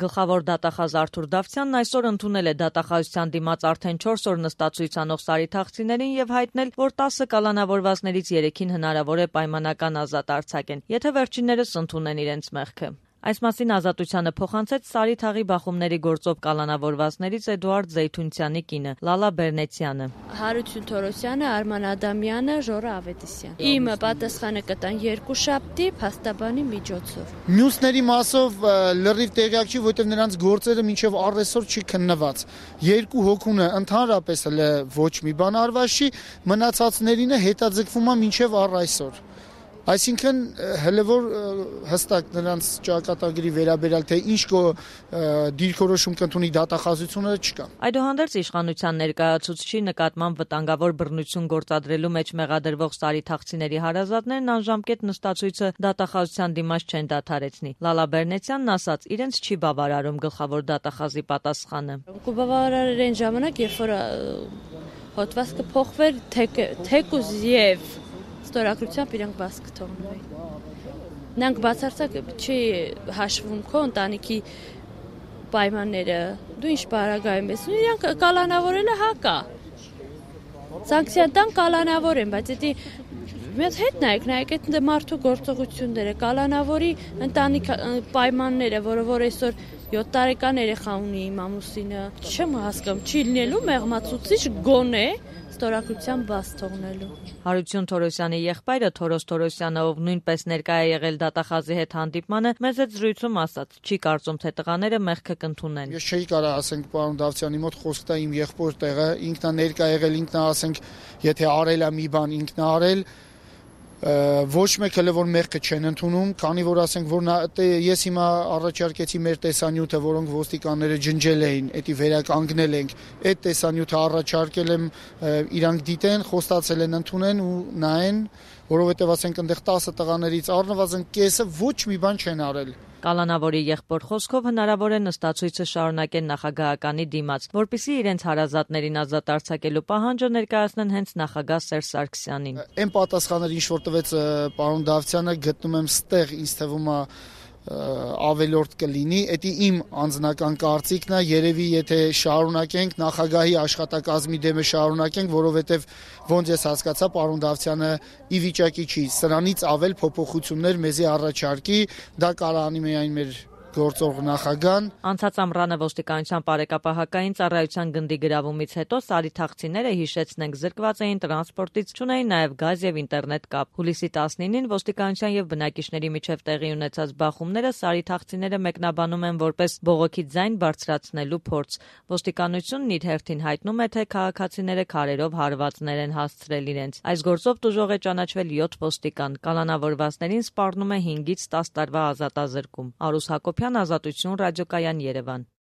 Գլխավոր դատախազ Արթուր Դավթյանն այսօր ընդունել է դատախազության դիմաց արդեն 4 օր նստածույց անող Սարի Թախծիներին եւ հայտնել, որ 10 կալանավորվածներից 3-ին հնարավոր է պայմանական ազատ արձակեն, եթե վերջիններս ընդունեն իրենց մեղքը։ Այս մասին Ազատությանը փոխանցեց Սարի թաղի բախումների գործով կալանավորվածներից Էդուարդ Զեյթունցյանի կինը Լալա Բերնեցյանը։ Հարություն Թորոսյանը, Արման Ադամյանը, Ժորա Ավետիսյան։ Իմը պատասխանը կտան 2 շաբթի փաստաբանի միջոցով։ Մյուսների մասով լրիվ տեղյակ չի, որտեղ նրանց գործերը մինչև առեսօր չի քննված։ 2 հոգունը ընդհանրապես ոչ մի բան արված չի, մնացածներինը հետաձգվում է մինչև առ այսօր։ Այսինքն հələ որ հստակ նրանց ճակատագրի վերաբերյալ թե ինչ դիրքորոշում կընդունի դատախազությունը չկա։ Այդուհանդերձ իշխանության ներկայացուցչի նկատմամբ վտանգավոր բռնություն գործադրելու մեջ մեղադրվող Սարի Թախծիների հարազատներն անժամկետ նստածույցը դատախազության դիմաց չեն դադարեցնի։ Լալա Բերնեցյանն ասաց, իրենց չի բավարարում գլխավոր դատախազի պատասխանը։ Կբավարարեր այն ժամանակ, երբ որ հոդվածքը փոխվեր թեկուզ եւ ստորագրությամբ իրանք բաց կթողնվեին։ Նրանք բացարձակ չի հաշվում քո ընտանիքի պայմանները, դու ինչ պարագայում ես, իրանք կալանավորելը հակա։ Սանկցիա տան կալանավոր են, բայց դա մեծ հետ նայեք այդ մարդու գործողությունները, կալանավորի ընտանիք պայմանները, որ այսօր 7 տարեկան երեխա ունի իմ ամուսինը, չեմ հասկանում, չի լինելու մեղմացուցիչ գոնե ստորագրության բաց թողնելու։ Հարություն Թորոսյանի եղբայրը Թորոս Թորոսյանը, ով նույնպես ներկա է եղել դատախազի հետ հանդիպմանը, մեծ այդ զրույցում ասաց, չի կարծում, թե տղաները մեղքը կընդունեն։ Ես չէի կարող ասենք պարոն Դավթյանի մոտ խոսք տա իմ եղբոր տեղը, ինքն է ներկա եղել, ինքն է ասենք, եթե արել է մի բան, ինքն է արել, ոչ մեկ հələ որ մեղքը չեն ընդունում, քանի որ ասենք որ ես հիմա առաջարկեցի մեր տեսանյութը, որոնք ոստիկանները ջնջել էին, էդի վերականգնել ենք, այդ տեսանյութը առաջարկել եմ իրանք դիտեն, խոստացել են ընդունեն ու նայեն, որովհետև ասենք այնտեղ 10 տղաներից առնվազն կեսը ոչ մի բան չեն արել։ Կալանավորի եղբոր խոսքով հնարավոր է նստածույցը շարունակեն նախագահականի դիմաց, որպեսզի իրենց հարազատներին ազատ արձակելու պահանջը ներկայացնեն հենց նախագահ Սերժ Սարգսյանին։ Այն պատասխանները, ինչ որ տվեց պարոն Դավթյանը, գտնում եմ ստեղ, ինձ թվում է ավելորդ կլինի, դա իմ անձնական կարծիքն է, երևի եթե շարունակենք նախագահի աշխատակազմի դեմը շարունակենք, որովհետև ոնց ես հասկացա, պարոն Դավթյանը ի վիճակի չի սրանից ավել փոփոխություններ մեզի առաջարկի, դա կարող անի միայն մեր գործող նախագահան։ Անցած ամռանը ոստիկանության բարեկապահական ծառայության գնդի գրավումից հետո Սարի Թախծիները, հիշեցնենք, զրկված էին տրանսպորտից, չունեին նաև գազ եւ ինտերնետ կապ։ Հուլիսի 19-ին ոստիկանության եւ բնակիչների միջև տեղի ունեցած բախումները Սարի Թախծիները մեկնաբանում են որպես բողոքի ձայն բարձրացնելու փորձ։ Ոստիկանությունն իր հերթին հայտնում է, թե քաղաքացիները քարերով հարվածներ են հասցրել իրենց։ Այս գործով տուժող է ճանաչվել 7 ոստիկան։ Կալանավորվածներին սպառնում է 5-ից 10 տարվա ազատազրկում։ Արուս Հակոբյան, Ազատություն, Ռադիոկայան, Երևան։